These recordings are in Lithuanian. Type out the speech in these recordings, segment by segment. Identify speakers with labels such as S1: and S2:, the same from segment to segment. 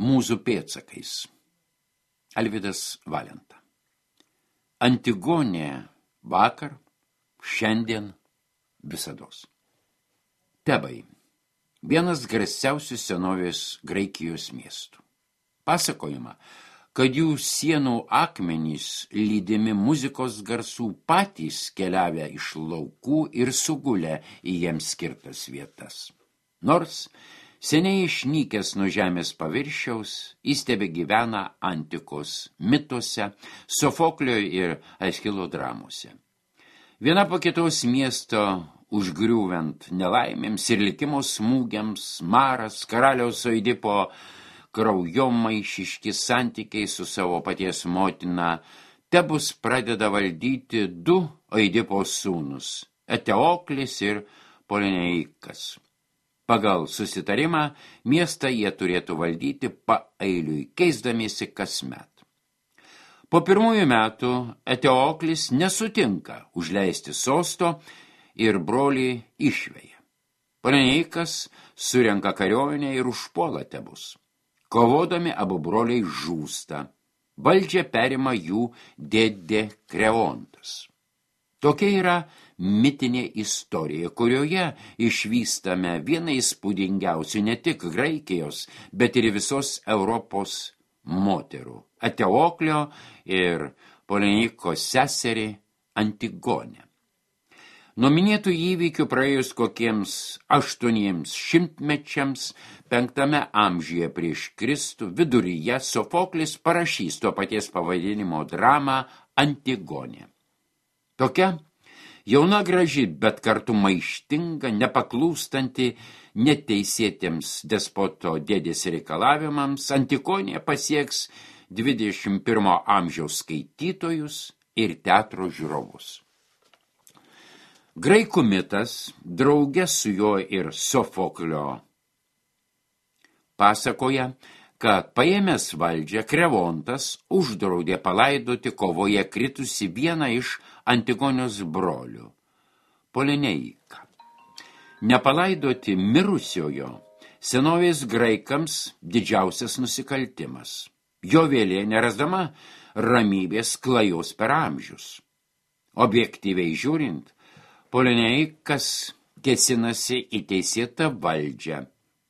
S1: Mūzų pėdsakais. Alvydas Valenta. Antigonė vakar, šiandien, visados. Tebai. Vienas garsiausių senovės Graikijos miestų. Pasakojama, kad jų sienų akmenys lydimi muzikos garsų patys keliavę iš laukų ir sugulę į jiems skirtas vietas. Nors seniai išnykęs nuo žemės paviršiaus, jis tebegyvena antikos mituose, Sofoklio ir Aeschilo dramose. Viena po kitos miesto užgriūvant nelaimėms ir likimo smūgiams, maras, karaliaus Oidipo kraujomaišiški santykiai su savo paties motina, Tebus pradeda valdyti du Oidipo sūnus, Eteoklis ir Polineikas. Pagal susitarimą miestą jie turėtų valdyti paeiliui, keisdamiesi kasmet. Po pirmųjų metų Eteoklis nesutinka užleisti sosto ir brolį išveja. Polineikas surenka kariuomenę ir užpuola Tebus. Kovodami abu broliai žūsta. Valdžią perima jų dėdė Kreontas. Tokia yra mitinė istorija, kurioje išvystame vieną įspūdingiausių ne tik Graikijos, bet ir visos Europos moterų – Eteoklio ir Polineiko seserį Antigonę. Nuo minėtų įvykių praėjus kokiems 800 mečiams, 5 amžiuje prieš Kristų, viduryje Sofoklis parašys to paties pavadinimo dramą Antigonė. Tokia jauna graži, bet kartu maištinga, nepaklūstanti neteisėtiems despoto dėdės reikalavimams, Antigonė pasieks 21 amžiaus skaitytojus ir teatro žiūrovus. Graikų mitas, drauge su juo ir Sofoklio, pasakoja, kad paėmęs valdžią Kreontas uždraudė palaidoti kovoje kritusi vieną iš Antigonios brolių, Polineiką. Nepalaidoti mirusiojo senovės graikams didžiausias nusikaltimas. Jo vėlė nerasdama ramybės klajos per amžius. Objektyviai žiūrint, Polineikas kėsinasi į teisėtą valdžią,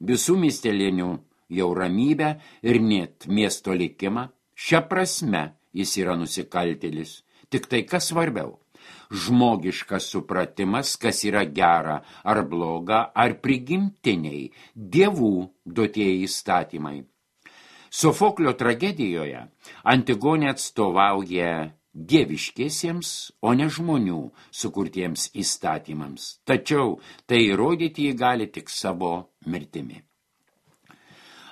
S1: visų miestelėnių jau ramybę ir net miesto likimą. Šia prasme jis yra nusikaltėlis. Tik tai kas svarbiau – žmogiškas supratimas, kas yra gera ar bloga, ar prigimtiniai, dievų duotieji įstatymai. Sofoklio tragedijoje Antigonė atstovauja dieviškiesiems, o ne žmonių sukurtiems įstatymams. Tačiau tai įrodyti jį gali tik savo mirtimi.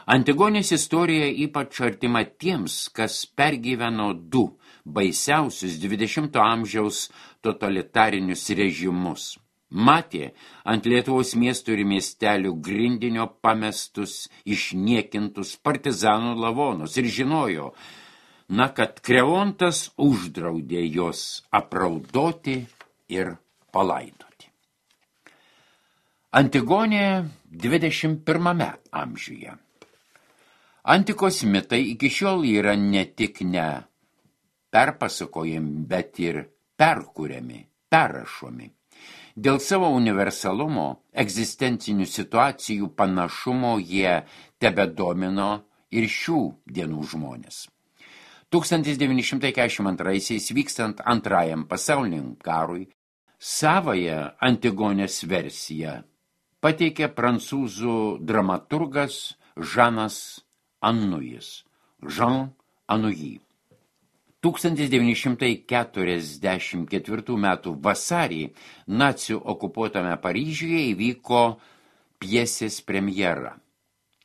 S1: Antigonės istorija ypač artima tiems, kas pergyveno du baisiausius 20 amžiaus totalitarinius režimus. Matė ant Lietuvos miestų ir miestelių grindinio pamestus, išniekintus partizanų lavonus ir žinojo, kad Kreontas uždraudė jos apraudoti ir palaidoti. Antigonė 21 amžiuje. Antikos mitai iki šiol yra ne tik ne perpasakojami, bet ir perkuriami, perrašomi. Dėl savo universalumo, egzistencinių situacijų panašumo jie tebedomino ir šių dienų žmonės. 1942 vykstant antrajam pasauliniam karui, savąją Antigonės versiją pateikė prancūzų dramaturgas Žanas Anujis, Jean Anouilh. 1944 metų vasarį nacių okupuotame Paryžiuje įvyko pjesės premjera.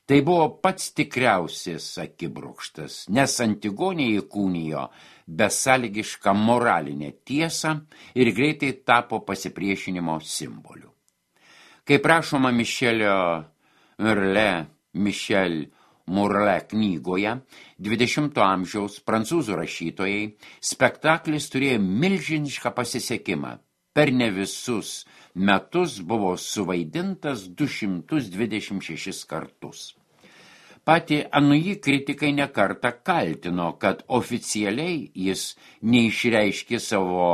S1: Tai buvo pats tikriausias akibrokštas, nes Antigonė įkūnijo besąlygišką moralinę tiesą ir greitai tapo pasipriešinimo simboliu. Kaip rašoma Michel Murle knygoje, 20 amžiaus prancūzų rašytojai, spektaklis turėjo milžinišką pasisekimą. Per ne visus metus buvo suvaidintas 226 kartus. Pati Anui kritikai nekartą kaltino, kad oficialiai jis neišreiškė savo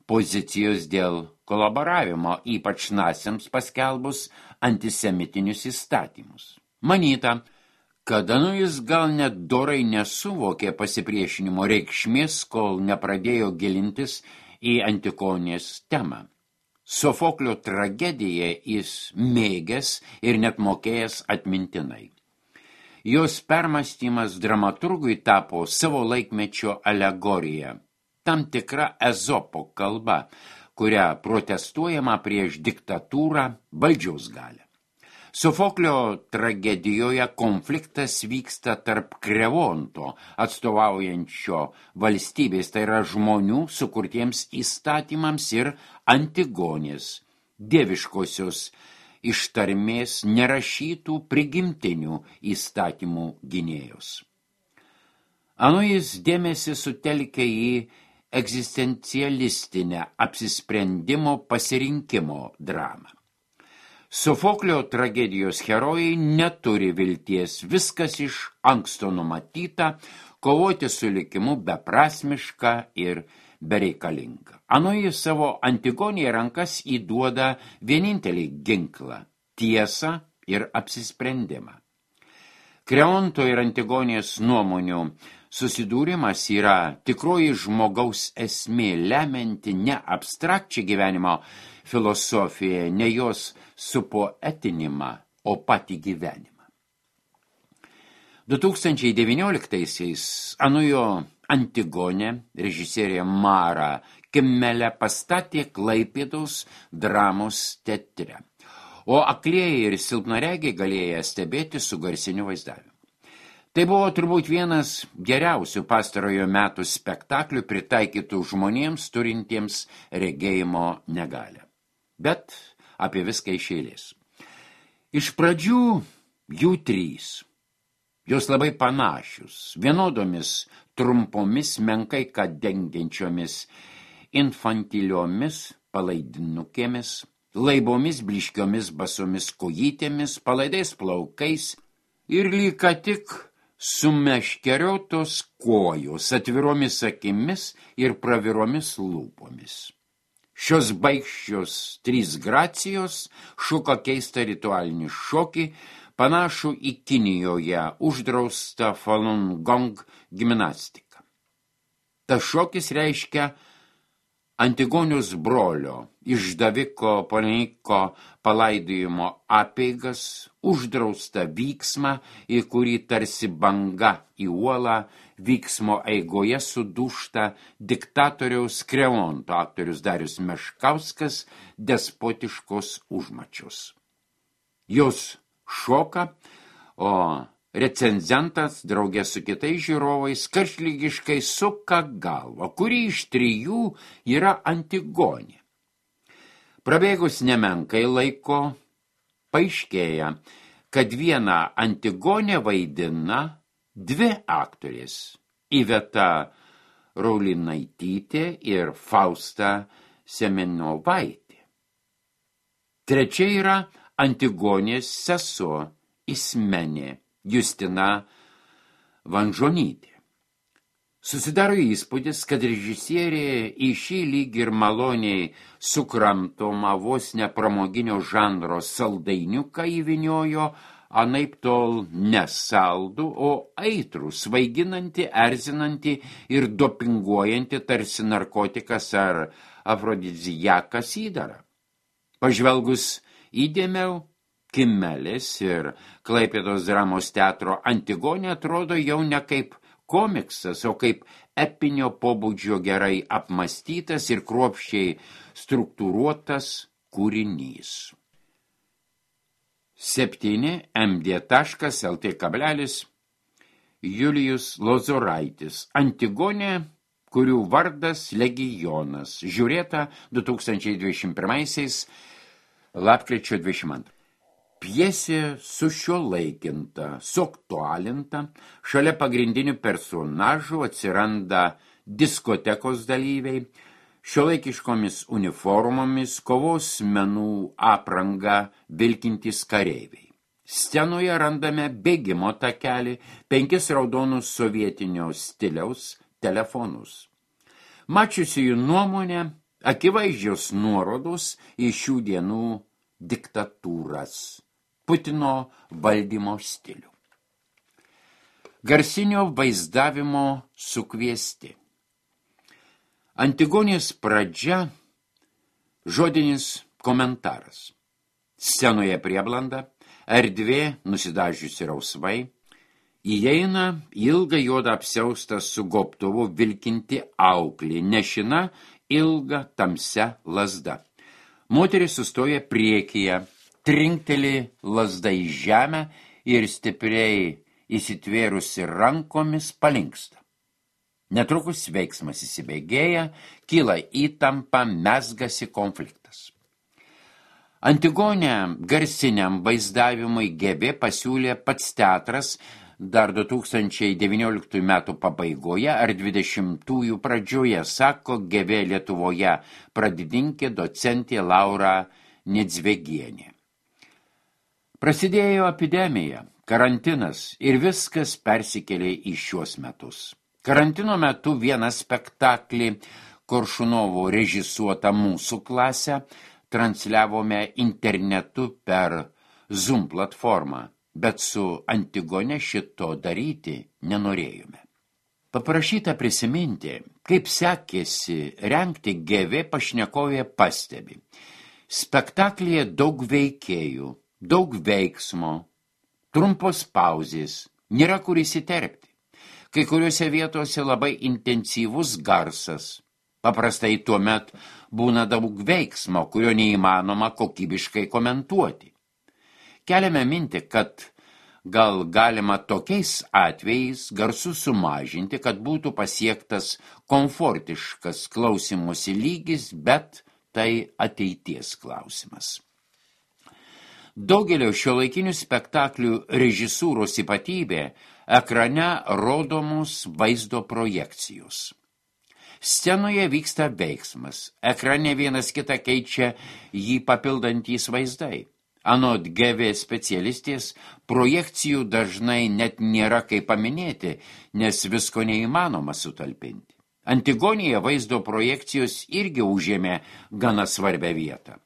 S1: pozicijos dėl kolaboravimo, ypač naciams paskelbus antisemitinius įstatymus. Manyta, kad Anuis gal net dorai nesuvokė pasipriešinimo reikšmės, kol nepradėjo gilintis į Antigonės temą. Sofoklio tragediją jis mėgęs ir net mokėjęs atmintinai. Jos permąstymas dramaturgui tapo savo laikmečio alegorija, tam tikra Ezopo kalba, kuria protestuojama prieš diktatūrą, valdžios galią. Sofoklio tragedijoje konfliktas vyksta tarp Krevonto, atstovaujančio valstybės, tai yra žmonių sukurtiems įstatymams, ir Antigonės, dieviškosios ištarmės nerašytų prigimtinių įstatymų gynėjos. Anuis dėmesį sutelkia į egzistencialistinę apsisprendimo pasirinkimo dramą. Sofoklio tragedijos herojai neturi vilties, viskas iš anksto numatyta, kovoti su likimu beprasmiška ir bereikalinga. Anuis savo Antigonėje rankas įduoda vienintelį ginklą – tiesą ir apsisprendimą. Kreonto ir Antigonės nuomonių susidūrimas yra tikroji žmogaus esmė, lemianti ne abstrakčią gyvenimo filosofiją, ne jos supoetinimą, o patį gyvenimą. 2019-aisiais Anujo Antigonė režisierė Mara Kimmelė pastatė Klaipėdos dramos teatre, o aklieji ir silpnaregiai galėjo stebėti su garsiniu vaizdavimu. Tai buvo turbūt vienas geriausių pastarojo metų spektaklių pritaikytų žmonėms turintiems regėjimo negalią. Bet apie viską iš eilės. Iš pradžių jų 3. Jos labai panašius, vienodomis, trumpomis, menkai ką dengiančiomis, infantiliomis palaidinukėmis, laibomis blyškiomis basomis kojytėmis, palaidais plaukais ir lyg tik sumeškeriotos kojos, atviromis akimis ir praviromis lūpomis. Šios baikščios 3 gracijos šuko keistą ritualinį šokį, panašų į Kinijoje uždraustą Falun Gong gimnastiką. Tas šokis reiškia Antigonius brolio, išdaviko Poliniko palaidojimo apeigas, uždraustą vyksmą, į kurį tarsi banga į uolą vyksmo eigoje sudūžta diktatoriaus Kreonto aktorius Darius Meškauskas despotiškos užmačios. Jos šoka, o recenzentas draugė su kitais žiūrovais karštlygiškai suka galvą, kuri iš 3 yra Antigonė. Prabėgus nemenkai laiko, paaiškėja, kad vieną Antigonę vaidina 2 aktorės – Iveta Raulinaitytė ir Fausta Semenovaitė. 3 yra Antigonės sesuo Ismenė Justina Vanžonytė. Susidaro įspūdis, kad režisierė į šį lyg ir maloniai sukramtomą vos nepramoginio žanro saldainiuką įvyniojo anaiptol nesaldų, o aitrų, svaiginantį, erzinantį ir dopinguojantį tarsi narkotikas ar afrodiziakas įdarą. Pažvelgus įdėmiau, Kimmelės ir Klaipėdos dramos teatro Antigonė atrodo jau ne kaip komiksas, o kaip epinio pobūdžio gerai apmąstytas ir kruopščiai struktūruotas kūrinys. 7 md.lt. Julijus Lozoraitis. Antigonė, kurių vardas Legionas. Žiūrėta 2021 lapkričio 22. Pjesė sušiuolaikinta, suaktualinta, šalia pagrindinių personažų atsiranda diskotekos dalyviai, šiuolaikiškomis uniformomis, kovos menų aprangą vilkintys kareiviai. Scenoje randame bėgimo takelį, 5 raudonus sovietinio stiliaus telefonus. Mačiusiųjų nuomonė, akivaizdžios nuorodos į šių dienų diktatūras, Putino valdymo stilių. Garsinio vaizdavimo sukviesti. Antigonės pradžia, žodinis komentaras. Scenoje prieblanda, erdvė nusidažiusi rausvai, įeina ilgą juodą apsiaustą su gobtuvu vilkinti auklį, nešina ilga tamsia lazda. Moteris sustoja priekyje, trinkteli lazda į žemę ir stipriai įsitvėrusi rankomis palinksta. Netrukus veiksmas įsibėgėja, kyla įtampa, mezgasi konfliktas. Antigonę garsiniam vaizdavimui GV pasiūlė pats teatras dar 2019 metų pabaigoje ar 20-ųjų pradžioje, sako GV Lietuvoje pradininkė docentė Laura Nedzvegienė. Prasidėjo epidemija, karantinas ir viskas persikėlė į šiuos metus. Karantino metu vieną spektaklį Koršunovo režisuotą Mūsų klasę transliavome internetu per Zoom platformą, bet su Antigone šito daryti nenorėjome. Paprašyta prisiminti, kaip sekėsi rengti GV, pašnekovė pastebi. Spektaklyje daug veikėjų, daug veiksmo, trumpos pauzės, nėra kur įsiterpti. Kai kuriuose vietose labai intensyvus garsas. Paprastai tuomet būna daug veiksmo, kurio neįmanoma kokybiškai komentuoti. Keliame mintį, kad gal galima tokiais atvejais garsus sumažinti, kad būtų pasiektas komfortiškas klausymosi lygis, bet tai ateities klausimas. Daugelio šiuolaikinių spektaklių režisūros ypatybė ekrane rodomos vaizdo projekcijos. Scenoje vyksta veiksmas, ekrane vienas kitą keičia jį papildantys vaizdai. Anot GV specialistės, projekcijų dažnai net nėra kaip paminėti, nes visko neįmanoma sutalpinti. Antigonėje vaizdo projekcijos irgi užėmė gana svarbią vietą.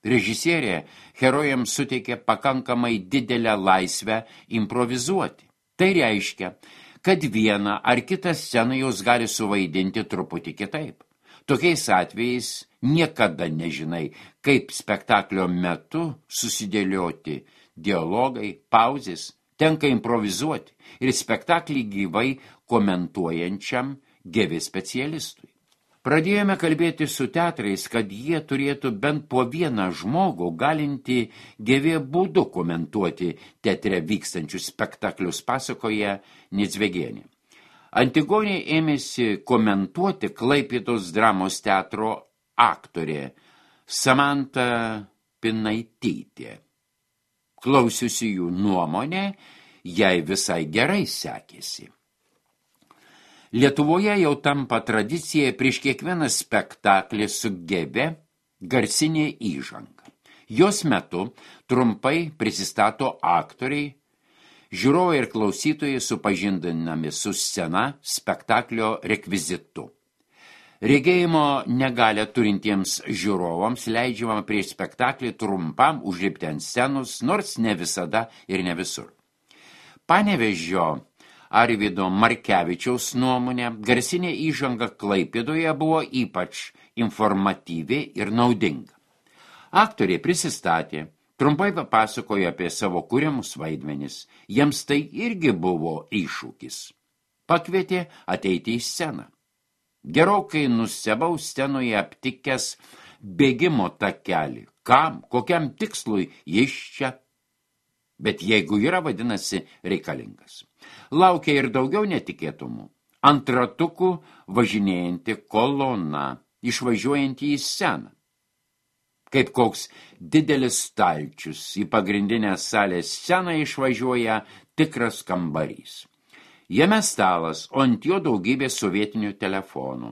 S1: Režisierė herojams suteikė pakankamai didelę laisvę improvizuoti. Tai reiškia, kad vieną ar kitą sceną jos gali suvaidinti truputį kitaip. Tokiais atvejais niekada nežinai, kaip spektaklio metu susidėlioti dialogai, pauzės, tenka improvizuoti ir spektaklį gyvai komentuojančiam GV specialistui. Pradėjome kalbėti su teatrais, kad jie turėtų bent po vieną žmogų galinti GV būdu komentuoti teatre vykstančius spektaklius, pasakoja Nedzvegienė. Antigonė ėmėsi komentuoti Klaipėdos dramos teatro aktorė Samanta Pinaitytė. Klausiusi jų nuomonę, jai visai gerai sekėsi. Lietuvoje jau tampa tradicija prieš kiekvieną spektaklį su GV garsinė įžanga. Jos metu trumpai prisistato aktoriai, žiūrovai ir klausytojai supažindinami su scena spektaklio rekvizitu. Regėjimo negalią turintiems žiūrovams leidžiama prieš spektaklį trumpam užlipti ant scenos, nors ne visada ir ne visur. Panevėžio Arvydo Markevičiaus nuomonė, garsinė įžanga Klaipėdoje buvo ypač informatyvi ir naudinga. Aktoriai prisistatė, trumpai papasakojo apie savo kuriamus vaidmenis, jiems tai irgi buvo iššūkis. Pakvietė ateiti į sceną. Gerokai nustebau scenoje aptikęs bėgimo takelį. Kam, kokiam tikslui jis čia? Bet jeigu yra, vadinasi, reikalingas. Laukia ir daugiau netikėtumų. Ant ratukų važinėjanti kolona, išvažiuojanti į sceną. Kaip koks didelis stalčius į pagrindinę salės sceną išvažiuoja tikras kambarys. Jame stalas, o ant jo daugybė sovietinių telefonų.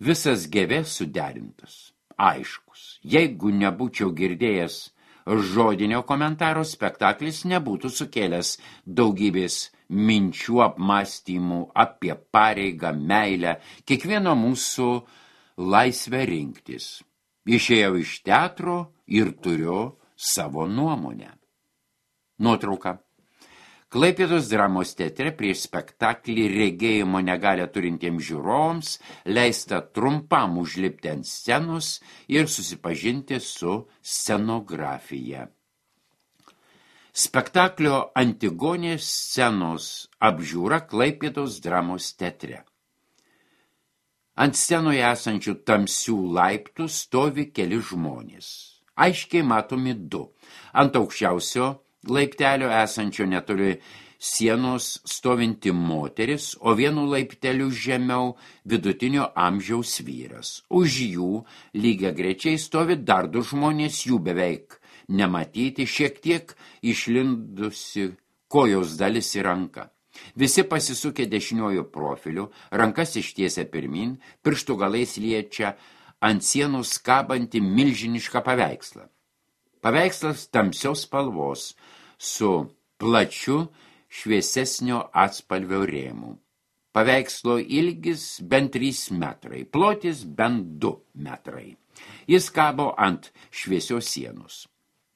S1: Visas GV suderintas, aiškus. Jeigu nebūčiau girdėjęs žodinio komentaro spektaklis nebūtų sukėlęs daugybės minčių apmąstymų apie pareigą, meilę, kiekvieno mūsų laisvę rinktis. Išėjau iš teatro ir turiu savo nuomonę. Nuotrauka. Klaipėdos dramos teatre prieš spektaklį regėjimo negalią turintiems žiūrovams leista trumpam užlipti ant scenos ir susipažinti su scenografija. Spektaklio Antigonės scenos apžiūra Klaipėdos dramos teatre. Ant scenoje esančių tamsių laiptų stovi keli žmonės. Aiškiai matomi du. Ant aukščiausio laiptelio esančio netoli sienos stovinti moteris, o vienu laipteliu žemiau vidutinio amžiaus vyras. Už jų lygiagrečiai stovi dar du žmonės, jų beveik nematyti, šiek tiek išlindusi kojos dalis į ranką. Visi pasisukę dešiniuoju profiliu, rankas ištiesia pirmin, pirštų galais liečia ant sienos kabantį milžinišką paveikslą. Paveikslas tamsios spalvos su plačiu šviesesnio atspalvio rėmu. Paveikslo ilgis bent 3 metrai, plotis bent 2 metrai. Jis kabo ant šviesios sienos.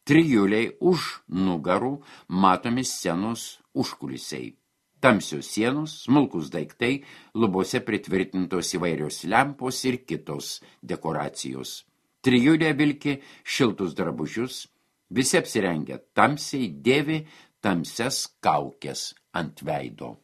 S1: Trijuliai už nugarų matomi scenos užkulisiai. Tamsios sienos, smulkus daiktai, lubose pritvirtintos įvairios lempos ir kitos dekoracijos. Trijulė vilki šiltus drabužius, visi apsirengę tamsiai, dėvi tamsias kaukes ant veido.